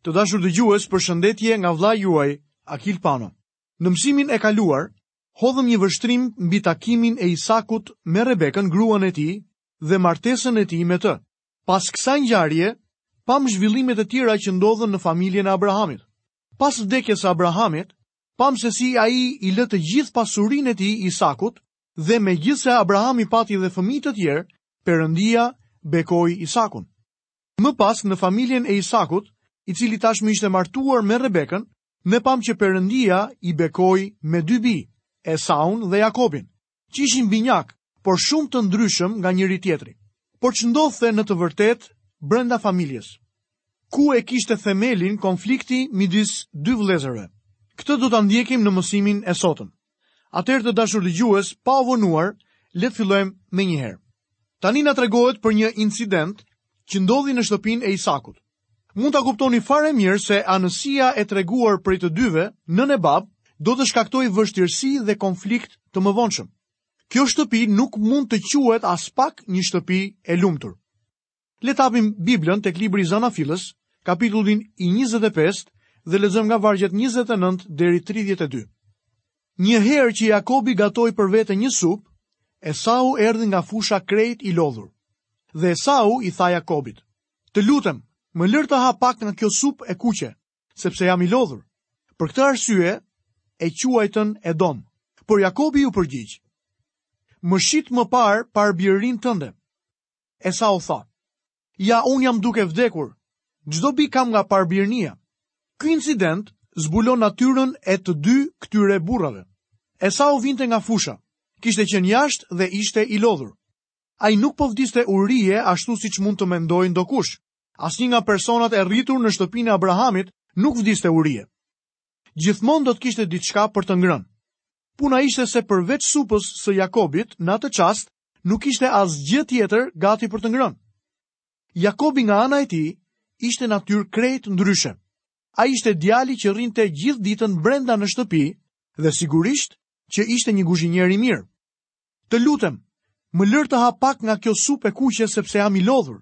Të dashur dëgjues, përshëndetje nga vëllai juaj, Akil Pano. Në mësimin e kaluar, hodhëm një vështrim mbi takimin e Isakut me Rebekën, gruan e tij, dhe martesën e tij me të. Pas kësaj ngjarje, pamë zhvillimet e tjera që ndodhën në familjen e Abrahamit. Pas vdekjes së Abrahamit, pamë se si ai i lë të gjithë pasurinë e tij Isakut dhe megjithëse Abrahami pati dhe fëmijë të tjerë, Perëndia bekoi Isakun. Më pas në familjen e Isakut, i cili tashmë ishte martuar me Rebekën, ne pamë që Perëndia i bekoi me dy bij, Esaun dhe Jakobin, që ishin binjakë, por shumë të ndryshëm nga njëri-tjetri. Por ç'ndodhte në të vërtetë brenda familjes? Ku e kishte themelin konflikti midis dy vëllezërve? Këtë do ta ndjekim në mësimin e sotëm. Atëherë të dashur dëgjues, pa u vonuar, le të fillojmë menjëherë. Tani na tregohet për një incident që ndodhi në shtëpinë e Isakut. Mund ta kuptoni fare mirë se anësia e treguar prej të dyve, nënë e babë, do të shkaktojë vështirësi dhe konflikt të mëvonshëm. Kjo shtëpi nuk mund të quhet aspak një shtëpi e lumtur. Le të hapim Biblën tek libri i Zanafillës, kapitullin i 25 dhe lexojmë nga vargjet 29 deri 32. Një herë që Jakobi gatoi për vete një supë, Esau erdhi nga fusha krejt i lodhur. Dhe Esau i tha Jakobit: Të lutem, më lër të ha pak nga kjo supë e kuqe, sepse jam i lodhur. Për këtë arsye e quajtën Edom. Por Jakobi iu përgjigj: Më shit më parë parëbirërinë tënde. Esau tha, Ja, unë jam duke vdekur. Ç'dobi kam nga parëbirënia. Ky incident zbulon natyrën e të dy këtyre burrave. Esau vinte nga fusha, kishte qenë jashtë dhe ishte i lodhur. Ai nuk po vdiste urie ashtu siç mund të mendojë ndokush. Asnjë nga personat e rritur në shtëpinë e Abrahamit nuk vdiste urie. Gjithmonë do të kishte diçka për të ngrënë. Puna ishte se përveç supës së Jakobit, në atë çast nuk kishte asgjë tjetër gati për të ngrënë. Jakobi nga ana e tij ishte natyrë krejt ndryshe. Ai ishte djali që rrinte gjithë ditën brenda në shtëpi dhe sigurisht që ishte një guzhinier i mirë. Të lutem, më lër të ha pak nga kjo supë e kuqe sepse jam i lodhur.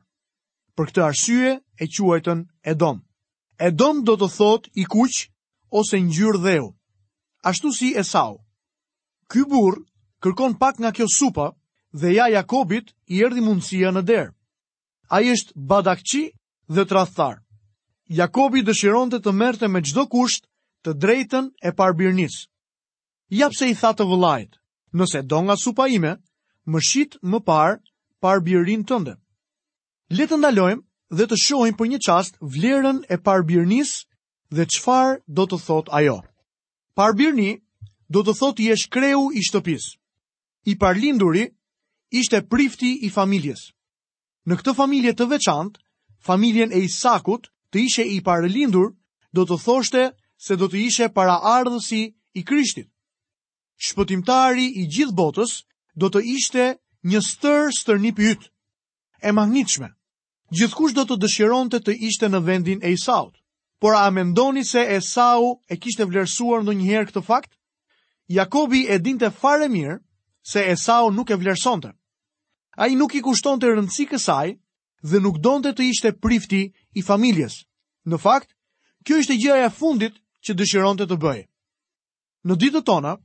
Për këtë arsye e quajtën Edom. Edom do të thotë i kuq ose ngjyrë dheu, ashtu si Esau. Ky burrë kërkon pak nga kjo supa dhe ja Jakobit i erdhi mundësia në derë. Ai është badakçi dhe tradhtar. Jakobi dëshironte të merrte me çdo kusht të drejtën e parëbirënisë. Ja pse i tha të vëllait, nëse do nga supa ime, më shit më parë parëbirërinë tënde. Le të ndalojmë dhe të shohim për një çast vlerën e parëbirënisë dhe çfarë do të thotë ajo. Parëbirëni do të thotë të jesh kreu i shtëpisë. I parëlinduri ishte prifti i familjes. Në këtë familje të veçantë, familjen e Isakut, të ishe i parëlindur do të thoshte se do të ishe paraardhësi i Krishtit. Shpëtimtari i gjithë botës do të ishte një stër stërnip yt. E mahnitshme. Gjithkush do të dëshironte të ishte në vendin e Esaut. Por a mendoni se Esau e kishte vlerësuar ndonjëherë këtë fakt? Jakobi e dinte fare mirë se Esau nuk e vlerësonte. Ai nuk i kushtonte rëndësi kësaj dhe nuk donte të ishte prifti i familjes. Në fakt, kjo ishte gjëja e fundit që dëshironte të bëhej. Në ditët tona,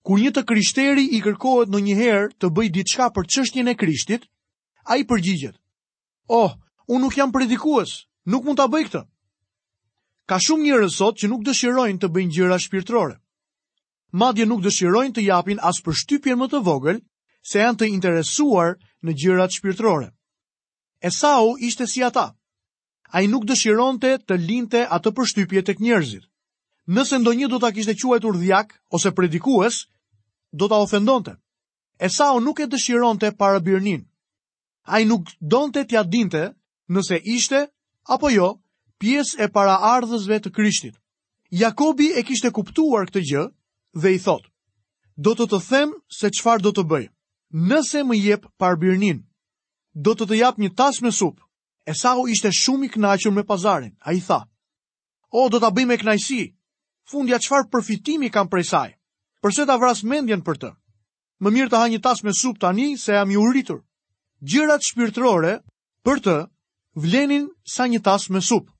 kur një të krishteri i kërkohet ndonjëherë të bëjë diçka për çështjen e Krishtit, ai përgjigjet: "Oh, unë nuk jam predikues, nuk mund ta bëj këtë." Ka shumë njerëz sot që nuk dëshirojnë të bëjnë gjëra shpirtërore. Madje nuk dëshirojnë të japin as përshtypjen më të vogël se janë të interesuar në gjërat shpirtërore. Esau ishte si ata. Ai nuk dëshironte të linte atë përshtypje tek njerëzit. Nëse ndonjë do ta kishte quajtur dhjak ose predikues, do ta ofendonte. Esau nuk e dëshironte parëbirëninë. Ai nuk donte t'ia dinte nëse ishte apo jo pjesë e paraardhësve të Krishtit. Jakobi e kishte kuptuar këtë gjë dhe i thotë: Do të të them se çfarë do të bëj. Nëse më jep parëbirëninë, do të të jap një tas me supë. Esau ishte shumë i kënaqur me pazarin. Ai tha: O, do ta bëj me kënaqësi. Fundja çfarë përfitimi kam prej saj? Përse ta vras mendjen për të? Më mirë të ha një tas me supë tani se jam i uritur. Gjërat shpirtërore për të vlenin sa një tas me supë.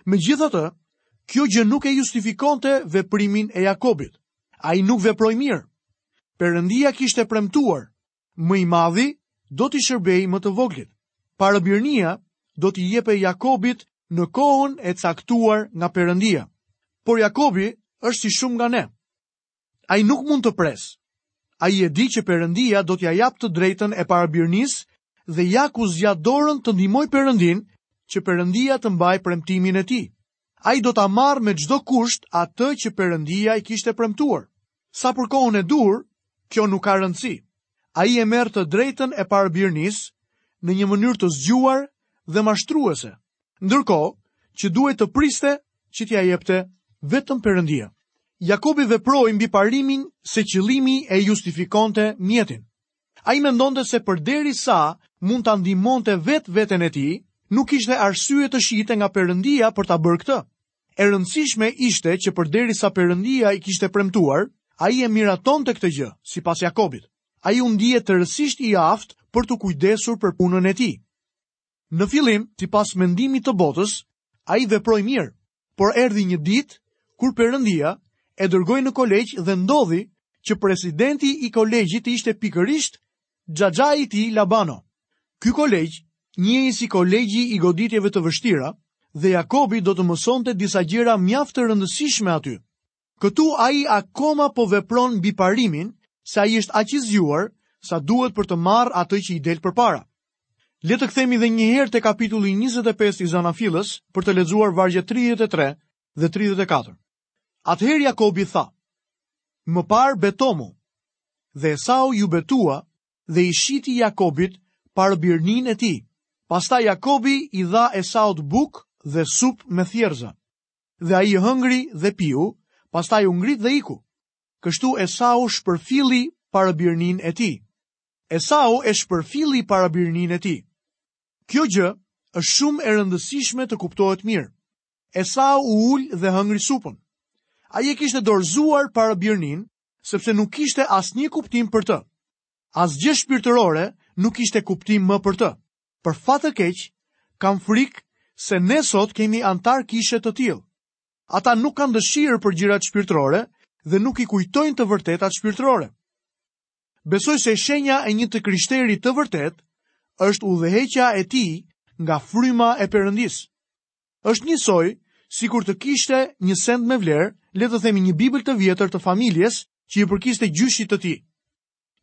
Megjithatë, kjo gjë nuk e justifikonte veprimin e Jakobit. Ai nuk veproi mirë. Perëndia kishte premtuar, më i madhi do t'i shërbejë më të voglit. Parëbirnia do t'i jepej Jakobit në kohën e caktuar nga Perëndia. Por Jakobi është si shumë nga ne. Ai nuk mund të presë. Ai e di që Perëndia do t'ia japë të drejtën e parabirnisë dhe ja ku zgjat dorën të ndihmojë Perëndinë që Perëndia të mbajë premtimin e tij. Ai do ta marrë me çdo kusht atë që Perëndia i kishte premtuar. Sa për kohën e duhur, kjo nuk ka rëndësi. Ai e merr të drejtën e parabirnisë në një mënyrë të zgjuar dhe mashtruese. Ndërkohë që duhej të priste që t'ia jepte vetëm Perëndia. Jakobi veproi mbi parimin se qëllimi e justifikonte mjetin. Ai mendonte se përderisa mund ta ndihmonte vetë veten e tij, nuk kishte arsye të shihte nga Perëndia për ta bërë këtë. E rëndësishme ishte që përderisa Perëndia i kishte premtuar, ai e miratonte këtë gjë, sipas Jakobit. Ai u ndie tërësisht i aftë për t'u kujdesur për punën e tij. Në fillim, sipas mendimit të botës, ai veproi mirë, por erdhi një ditë kur Perëndia e dërgoi në kolegj dhe ndodhi që presidenti i kolegjit të ishte pikërisht xhaxhai i tij Labano. Ky kolegj njihej si kolegji i goditjeve të vështira dhe Jakobi do të mësonte disa gjëra mjaft të rëndësishme aty. Këtu ai akoma po vepron mbi parimin se ai është aq i zgjuar sa duhet për të marrë atë që i del përpara. Le të kthehemi dhe një herë te kapitulli 25 i Zanafillës për të lexuar vargjet 33 dhe 34. Atëherë Jakobi tha: Më parë betomu. Dhe Esau iu betua dhe i shiti Jakobit parëbirninë e tij. Pastaj Jakobi i dha Esaut bukë dhe supë me thjerrëza. Dhe ai hëngri dhe piu, pastaj u ngrit dhe iku. Kështu Esau shpërfilli parëbirninë e tij. Esau e shpërfilli parëbirninë e tij. Kjo gjë është shumë e rëndësishme të kuptohet mirë. Esau u ul dhe hëngri supën. Ai e kishte dorëzuar parëbirninë, sepse nuk kishte asnjë kuptim për të. Asgjë shpirtërore nuk kishte kuptim më për të. Për fat të keq, kam frikë se ne sot kemi anëtarë kishe të tillë. Ata nuk kanë dëshirë për gjërat shpirtërore dhe nuk i kujtojnë të vërtetat shpirtërore. Besoj se shenja e një të krishteri të vërtetë është udhëheqja e tij nga fryma e Perëndisë. Është njësoj sikur të kishte një send me vlerë, le të themi një Bibël të vjetër të familjes që i përkiste gjyshit të tij.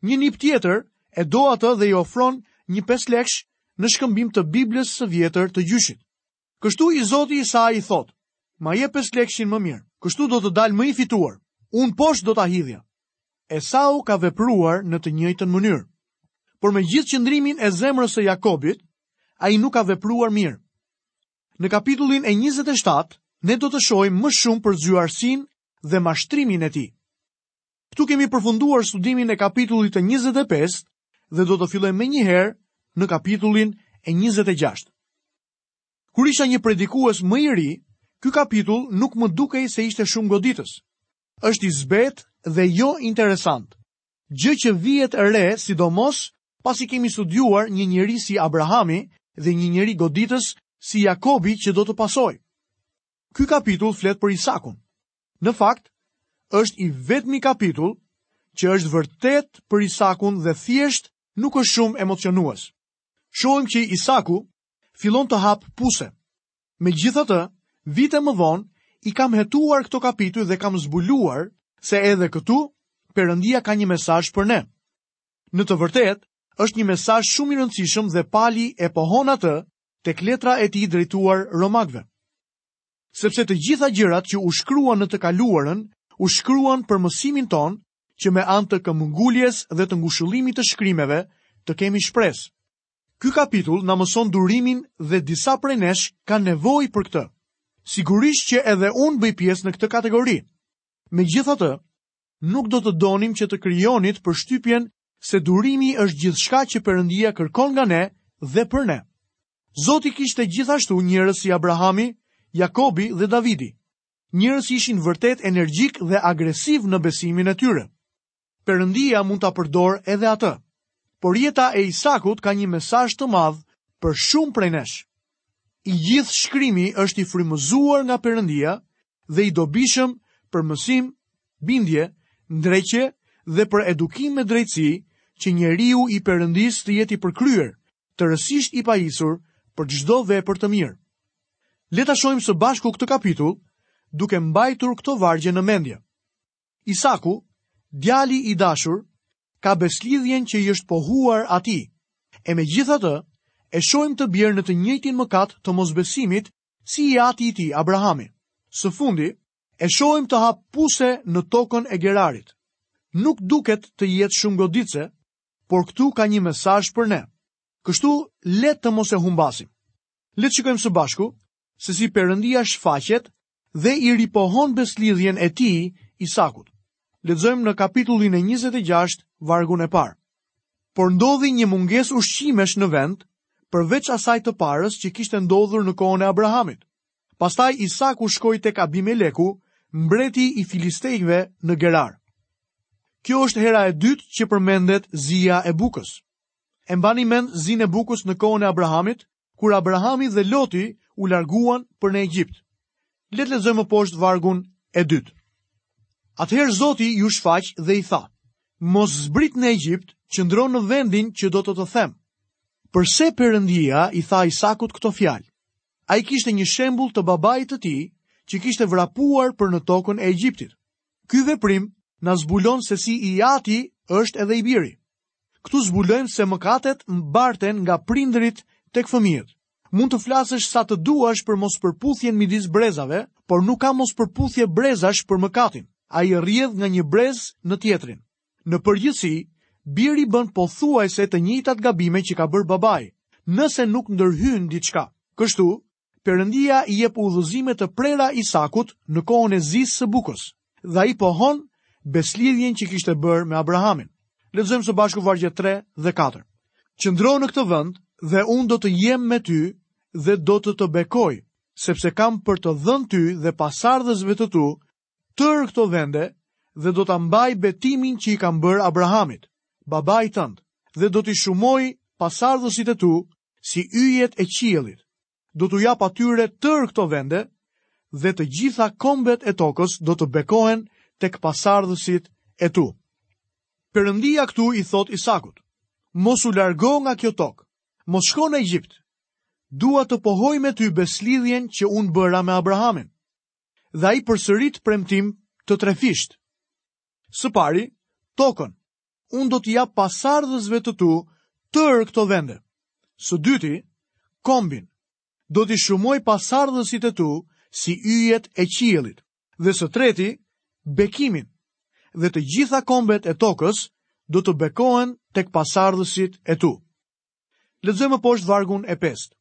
Një nip tjetër e do atë dhe i ofron një pesëlekësh në shkëmbim të Biblës së vjetër të gjyshit. Kështu i zoti i saj i thotë, ma jep pesëlekëshin më mirë, kështu do të dal më i fituar, unë poshtë do ta hidhja. Esau ka vepruar në të njëjtën mënyrë. Por me gjithë qëndrimin e zemrës së Jakobit, ai nuk ka vepruar mirë. Në kapitullin e 27, ne do të shohim më shumë për zgjuarsinë dhe mashtrimin e tij. Këtu kemi përfunduar studimin e kapitullit të 25 dhe do të fillojmë menjëherë në kapitullin e 26. Kur isha një predikues më i ri, ky kapitull nuk më dukej se ishte shumë goditës. Është i zbehtë dhe jo interesant. Gjë që vihet re sidomos pasi kemi studiuar një njeri si Abrahami dhe një njeri goditës si Jakobi që do të pasojë. Ky kapitull flet për Isakun. Në fakt, është i vetmi kapitull që është vërtet për Isakun dhe thjesht nuk është shumë emocionues. Shohim që Isaku fillon të hapë puse. Megjithatë, vite më vonë i kam hetuar këto kapituj dhe kam zbuluar se edhe këtu Perëndia ka një mesazh për ne. Në të vërtetë, është një mesazh shumë i rëndësishëm dhe Pali e pohon atë tek letra e tij drejtuar Romakëve. Sepse të gjitha gjërat që u shkruan në të kaluarën, u shkruan për mësimin tonë, që me anë të këmbënguljes dhe të ngushëllimit të shkrimeve të kemi shpresë. Ky kapitull na mëson durimin dhe disa prej nesh kanë nevojë për këtë. Sigurisht që edhe unë bëj pjesë në këtë kategori. Megjithatë, nuk do të donim që të krijonit përshtypjen se durimi është gjithçka që Perëndia kërkon nga ne dhe për ne. Zoti kishte gjithashtu njerëz si Abrahami, Jakobi dhe Davidi. Njerëz që ishin vërtet energjikë dhe agresivë në besimin e tyre. Perëndia mund ta përdorë edhe atë. Por jeta e Isakut ka një mesazh të madh për shumë prej nesh. I gjithë shkrimi është i frymëzuar nga Perëndia dhe i dobishëm për mësim, bindje, ndreqje dhe për edukim me drejtësi, që njeriu i Perëndisë të jetë i përkryer, tërësisht i pajisur për çdo vepër të mirë. Le ta shohim së bashku këtë kapitull, duke mbajtur këto vargje në mendje. Isaku, djali i dashur, ka besëlidhjen që i është pohuar atij. E megjithatë, e shohim të bjerë në të njëjtin mëkat të mosbesimit si i ati i tij, Abrahami. Së fundi, e shohim të hapë puse në tokën e Gerarit. Nuk duket të jetë shumë goditëse, por këtu ka një mesazh për ne. Kështu le të mos e humbasim. Le të shikojmë së bashku se si Perëndia shfaqet dhe i ripohon besëlidhjen e tij Isakut. Lexojmë në kapitullin e 26, vargun e parë. Por ndodhi një mungesë ushqimesh në vend, përveç asaj të parës që kishte ndodhur në kohën e Abrahamit. Pastaj Isaku shkoi tek Abimeleku, mbreti i filistejve në Gerar. Kjo është hera e dytë që përmendet zia e bukës. E mbani mend zinë e bukës në kohën e Abrahamit, kur Abrahami dhe Loti u larguan për në Egjipt. Le të lexojmë më poshtë vargun e dytë. Atëherë Zoti iu shfaq dhe i tha: Mos zbrit në Egjipt, qëndro në vendin që do të të them. Përse Perëndia i tha Isakut këto fjalë? Ai kishte një shembull të babait të tij që kishte vrapuar për në tokën e Egjiptit. Ky veprim na zbulon se si i ati është edhe i biri. Këtu zbulojmë se mëkatet mbarten nga prindërit tek fëmijët. Mund të flasësh sa të duash për mospërputhjen midis brezave, por nuk ka mospërputhje brezash për mëkatin. Ai rrjedh nga një brez në tjetrin. Në përgjithësi, biri bën pothuajse të njëjtat gabime që ka bërë babai, nëse nuk ndërhyn diçka. Kështu, Perëndia i jep udhëzime të prera Isakut në kohën e zisë së bukës dhe ai pohon besëlidhjen që kishte bërë me Abrahamin. Lexojmë së bashku vargjet 3 dhe 4. Qëndro në këtë vend dhe unë do të jem me ty dhe do të të bekoj, sepse kam për të dhënë ty dhe pasardhësve të tu tërë këto vende dhe do ta mbaj betimin që i kam bërë Abrahamit, babait tënd, dhe do t'i shumoj pasardhësit e tu si yjet e qiellit. Do t'u jap atyre tërë këto vende dhe të gjitha kombet e tokës do të bekohen tek pasardhësit e tu. Perëndia këtu i thotë Isakut, mos u largo nga kjo tokë, mos shko në Egjipt. Dua të pohoj me ty besëlidhjen që unë bëra me Abrahamin. Dhe ai përsërit premtim të trefishtë. Së pari, tokën. Unë do t'i jap pasardhësve të tu tërë këto vende. Së dyti, kombin. Do t'i shumoj pasardhësit e tu si yjet e qiellit. Dhe së treti, bekimin. Dhe të gjitha kombet e tokës do të bekohen tek pasardhësit e tu. Lexojmë më poshtë vargun e pestë.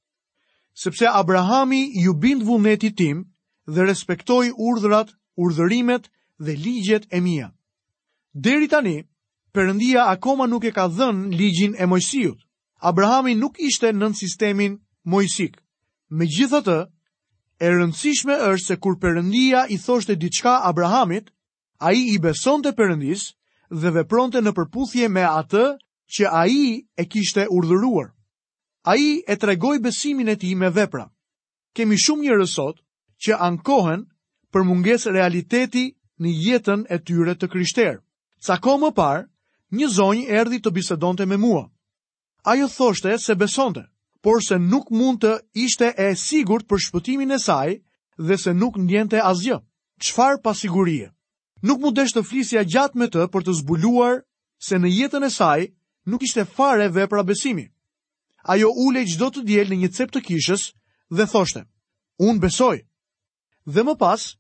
Sepse Abrahami iu bind vullnetit tim dhe respektoi urdhrat, urdhërimet dhe ligjet e mia. Deri tani, Perëndia akoma nuk e ka dhënë ligjin e Moisiut. Abrahami nuk ishte nën sistemin moisik. Megjithatë, e rëndësishme është se kur Perëndia i thoshte diçka Abrahamit, Ai i besonte Perëndisë dhe vepronte në përputhje me atë që ai e kishte urdhëruar. Ai e tregoi besimin e tij me vepra. Kemi shumë njerëz sot që ankohen për mungesë realiteti në jetën e tyre të krishterë. Ca kohë më parë, një zonjë erdhi të bisedonte me mua. Ajo thoshte se besonte, por se nuk mund të ishte e sigurt për shpëtimin e saj dhe se nuk ndjente asgjë. Çfarë pasigurie! Nuk m'u desh të flisja gjatë me të për të zbuluar se në jetën e saj nuk ishte fare vepra besimi. Ajo ulej çdo të diel në një cep të kishës dhe thoshte: "Unë besoj." Dhe më pas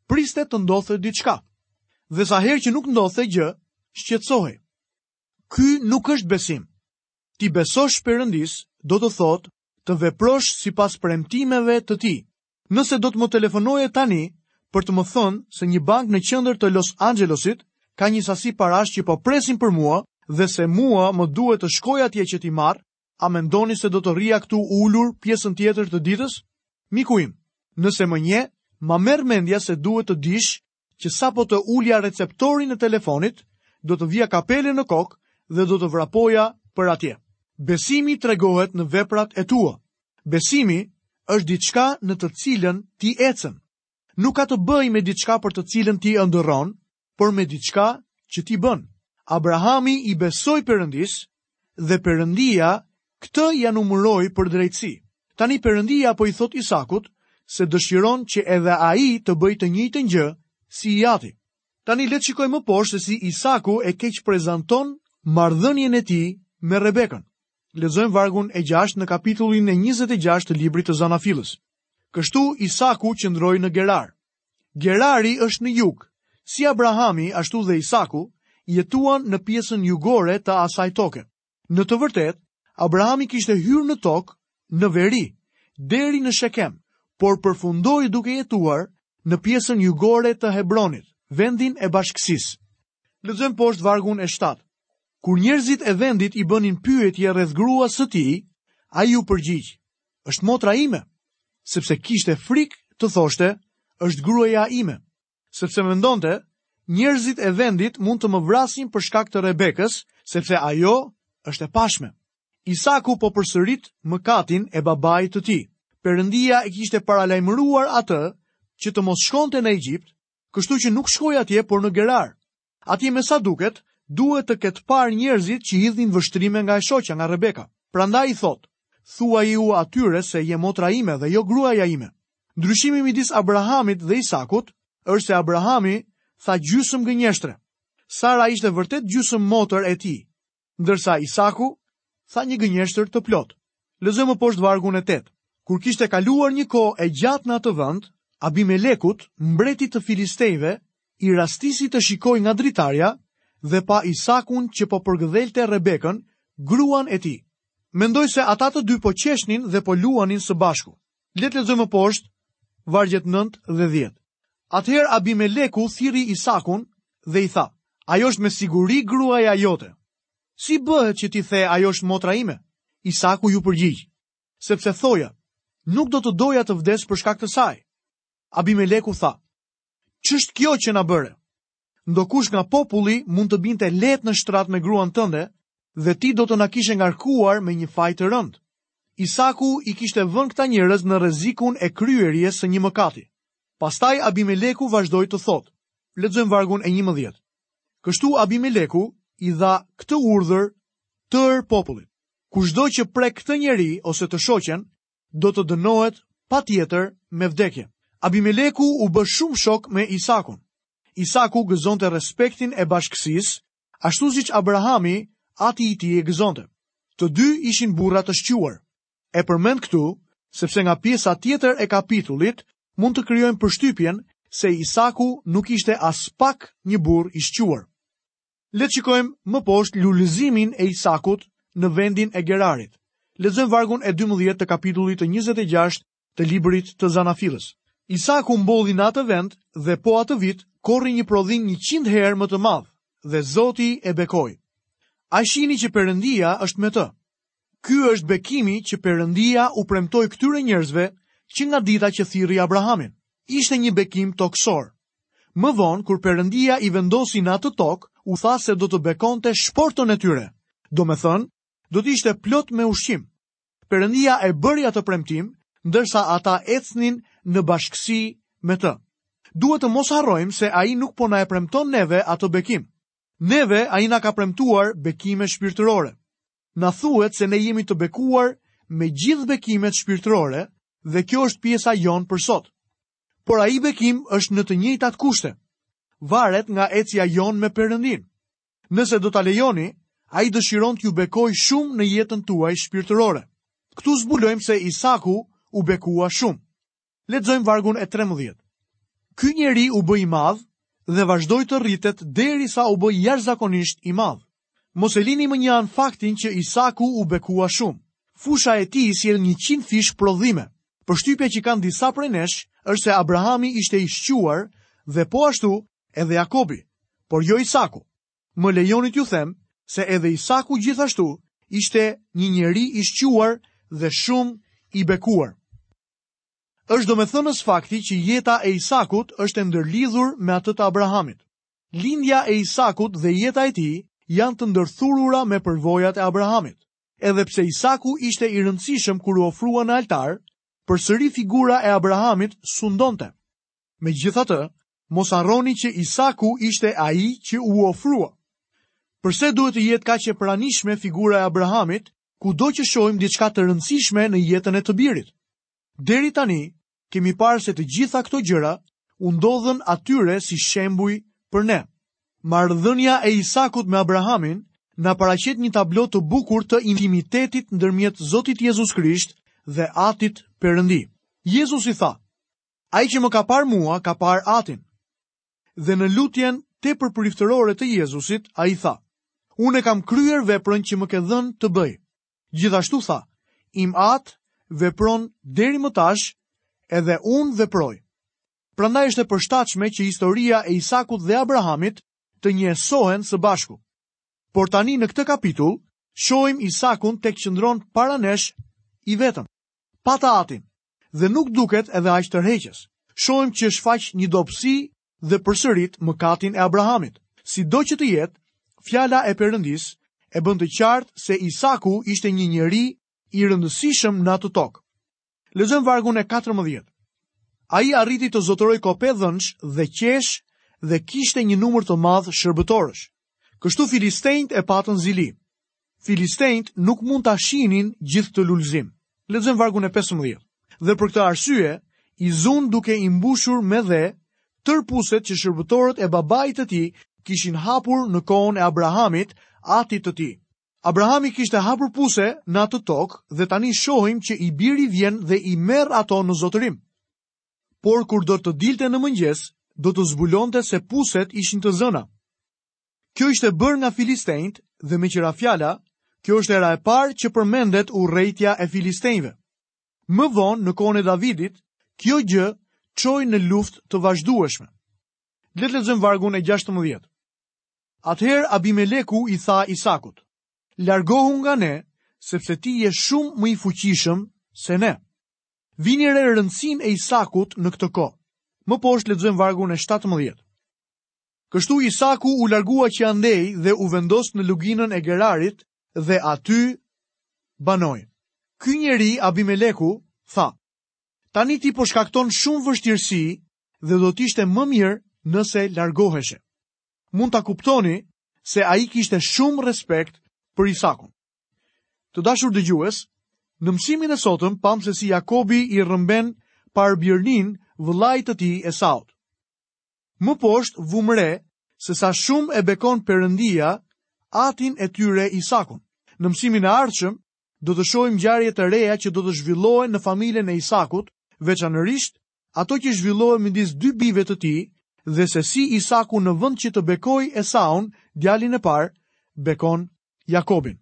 priste të ndodhte diçka. Dhe sa herë që nuk ndodhte gjë, shqetësohej. Ky nuk është besim. T'i besosh Perëndisë do të thotë të veprosh sipas premtimeve të tij. Nëse do të më telefonoje tani për të më thënë se një bankë në qendër të Los Angelesit ka një sasi parash që po presin për mua dhe se mua më duhet të shkoj atje që t'i marr, a mendoni se do të rrija këtu ulur pjesën tjetër të ditës? Miku im, nëse më njeh, ma merr mendja se duhet të dish që sapo të ulja receptorin e telefonit, do të vija kapelen në kokë dhe do të vrapoja për atje. Besimi tregohet në veprat e tua. Besimi Është diçka në të cilën ti ecën. Nuk ka të bëjë me diçka për të cilën ti ëndërron, por me diçka që ti bën. Abrahami i besoi Perëndisë dhe Perëndia këtë ia numëroi për drejtësi. Tani Perëndia po i thotë Isakut se dëshiron që edhe ai të bëjë të njëjtën gjë si i ati. Tani le të shikojmë më poshtë se si Isaku e keqprezanton marrëdhënien e tij me Rebekën. Lexojmë vargun e 6 në kapitullin e 26 të librit të Zanafillës. Kështu Isaku qëndroi në Gerar. Gerari është në jug. Si Abrahami, ashtu dhe Isaku, jetuan në pjesën jugore të asaj toke. Në të vërtetë, Abrahami kishte hyrë në tokë në veri, deri në Shekem, por përfundoi duke jetuar në pjesën jugore të Hebronit, vendin e bashkësisë. Lexojmë poshtë vargun e 7. Kur njerëzit e vendit i bënin pyetje rreth gruas së tij, ai u përgjigj: Është motra ime, sepse kishte frikë të thoshte, është gruaja ime, sepse mendonte, njerëzit e vendit mund të më vrasin për shkak të Rebekës, sepse ajo është e pashme. Isaku po përsërit mëkatin e babait të tij. Perëndia e kishte paralajmëruar atë që të mos shkonte në Egjipt, kështu që nuk shkoi atje, por në Gerar. Atje me sa duket, duhet të ketë parë njerëzit që hidhnin vështrime nga e shoqja, nga Rebeka. Prandaj i thotë, thuajiu atyre se je motra ime dhe jo gruaja ime. Ndryshimi midis Abrahamit dhe Isakut është se Abrahami tha gjysmë gënjeshtre. Sara ishte vërtet gjysmë motër e tij, ndërsa Isaku tha një gënjeshtër të plotë. Lexojmë më poshtë vargun e 8. Kur kishte kaluar një kohë e gjatë në atë vend, Abimelekut, mbretit të Filistejve, i rastisi të shikojë nga dritarja dhe pa Isakun që po përgëdhelte Rebekën, gruan e tij. Mendoj se ata të dy po qeshnin dhe po luanin së bashku. Le të lexojmë më poshtë vargjet 9 dhe 10. Atëherë Abimeleku thirri Isakun dhe i tha: Ajo është me siguri gruaja jote. Si bëhet që ti the ajo është motra ime? Isaku iu përgjigj, sepse thoja, nuk do të doja të vdes për shkak të saj. Abimeleku tha, ç'është kjo që na bëre? Ndokush nga populli mund të binte lehtë në shtrat me gruan tënde dhe ti do të na kishe ngarkuar me një faj të rëndë. Isaku i kishte vënë këta njerëz në rrezikun e kryerjes së një mëkati. Pastaj Abimeleku vazhdoi të thotë, lexojmë vargun e 11. Kështu Abimeleku i dha këtë urdhër tërë popullit. Kushdo që prek këtë njeri ose të shoqen, do të dënohet patjetër me vdekje. Abimeleku u bë shumë shok me Isakun. Isaku gëzonte respektin e bashkësisë, ashtu siç Abrahami, ati i tij e gëzonte. Të dy ishin burra të shquar. E përmend këtu, sepse nga pjesa tjetër e kapitullit mund të krijojmë përshtypjen se Isaku nuk ishte aspak një burrë i shquar. Le të shikojmë më poshtë lulëzimin e Isakut në vendin e Gerarit. Lexojmë vargun e 12 të kapitullit të 26 të librit të Zanafillës. Isaku mbolli në atë vend dhe po atë vit korri një prodhim 100 herë më të madh dhe Zoti e bekoi. A shihni që Perëndia është me të? Ky është bekimi që Perëndia u premtoi këtyre njerëzve që nga dita që thirri Abrahamin. Ishte një bekim tokësor. Më vonë, kur Perëndia i vendosi në atë tokë, u tha se do të bekonte shportën e tyre. Domethënë, do të ishte plot me ushqim. Perëndia e bëri atë premtim, ndërsa ata ecnin në bashkësi me të. Duhet të mos harrojmë se ai nuk po na e premton neve atë bekim. Neve ai na ka premtuar bekime shpirtërore. Na thuhet se ne jemi të bekuar me gjithë bekimet shpirtërore dhe kjo është pjesa jonë për sot. Por ai bekim është në të njëjtat kushte. Varet nga ecja jonë me Perëndinë. Nëse do ta lejoni, ai dëshiron t'ju bekojë shumë në jetën tuaj shpirtërore. Këtu zbulojmë se Isaku u bekua shumë. Lexojmë vargun e 13. Ky njeri u bë i madh dhe vazhdoi të rritet derisa u bë jashtëzakonisht i madh. Mos e lini mënjanë faktin që Isaku u bekua shumë. Fusha e tij sjell 100 fish prodhime. Përshtypja që kanë disa prej nesh është se Abrahami ishte i shquar dhe po ashtu edhe Jakobi, por jo Isaku. Më lejoni t'ju them se edhe Isaku gjithashtu ishte një njeri i shquar dhe shumë i bekuar. Është domethënës fakti që jeta e Isakut është e ndërlidhur me atë të Abrahamit. Lindja e Isakut dhe jeta e tij janë të ndërthurura me përvojat e Abrahamit. Edhe pse Isaku ishte i rëndësishëm kur u ofrua në altar, përsëri figura e Abrahamit sundonte. Megjithatë, mos harroni që Isaku ishte ai që u ofrua. Përse duhet të jetë kaq e pranishme figura e Abrahamit, kudo që shohim diçka të rëndësishme në jetën e të birit? Deri tani, kemi parë se të gjitha këto gjëra u ndodhën atyre si shembuj për ne. Marrëdhënia e Isakut me Abrahamin na paraqet një tablo të bukur të intimitetit ndërmjet Zotit Jezus Krisht dhe Atit Perëndi. Jezusi tha: Ai që më ka parë mua, ka parë Atin. Dhe në lutjen tepër priftërore të Jezusit, ai tha: Unë e kam kryer veprën që më ke dhënë të bëj. Gjithashtu tha: Im Atë vepron deri më tash, edhe unë veproj. Prandaj është e përshtatshme që historia e Isakut dhe Abrahamit të njësohen së bashku. Por tani në këtë kapitull shohim Isakun tek qëndron para nesh i vetëm, pa të atin, dhe nuk duket edhe aq tërheqës. Shohim që shfaq një dobësi dhe përsërit mëkatin e Abrahamit. Sido që të jetë, fjala e Perëndisë e bën të qartë se Isaku ishte një njeri i rëndësishëm në atë tokë. Lexojmë vargun e 14. Ai arriti të zotërojë kope dhensh dhe qesh dhe kishte një numër të madh shërbëtorësh. Kështu filistenjtë e patën zili. Filistenjtë nuk mund ta shihnin gjithë këtë lulëzim. Lexojmë vargun e 15. Dhe për këtë arsye, i zunë duke i mbushur me dhe tërë puset që shërbëtorët e babait të tij kishin hapur në kohën e Abrahamit, atit të tij. Abrahami kishte hapur puse në atë tokë dhe tani shohim që i biri vjen dhe i merr ato në zotërim. Por kur do të dilte në mëngjes, do të zbulonte se puset ishin të zëna. Kjo ishte bërë nga filistenjtë dhe meqë ra fjala, kjo është hera e parë që përmendet urrejtja e filistenjve. Më vonë, në kohën e Davidit, kjo gjë çoi në luftë të vazhdueshme. Le të lexojmë vargun e 16. Atëherë Abimeleku i tha Isakut: Largohu nga ne, sepse ti je shumë më i fuqishëm se ne. Vini re rëndësinë e Isakut në këtë kohë. Më poshtë lexojmë vargun e 17. Kështu Isaku u largua që andej dhe u vendos në luginën e Gerarit dhe aty banoi. Ky njeri Abimeleku tha: Tani ti po shkakton shumë vështirësi dhe do të ishte më mirë nëse largoheshe. Mund ta kuptoni se ai kishte shumë respekt për Isakun. Të dashur dëgjues, në mësimin e sotëm pamë se si Jakobi i rrëmben parëbirninë vëllait të tij Esaut. Më poshtë vumë re se sa shumë e bekon Perëndia atin e tyre Isakun. Në mësimin e ardhshëm do të shohim ngjarje të reja që do të zhvillohen në familjen e Isakut, veçanërisht ato që zhvillohen midis dy bijve të tij dhe se si Isaku në vend që të bekojë Esaun, djalin e parë, bekon Jakobin.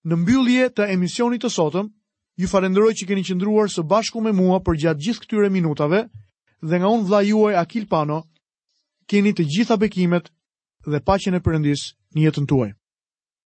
Në mbyllje të emisionit të sotëm, ju falenderoj që keni qëndruar së bashku me mua përgjatë gjithë këtyre minutave dhe nga unë vëllai juaj Akil Pano, keni të gjitha bekimet dhe paqen e Perëndisë në jetën tuaj.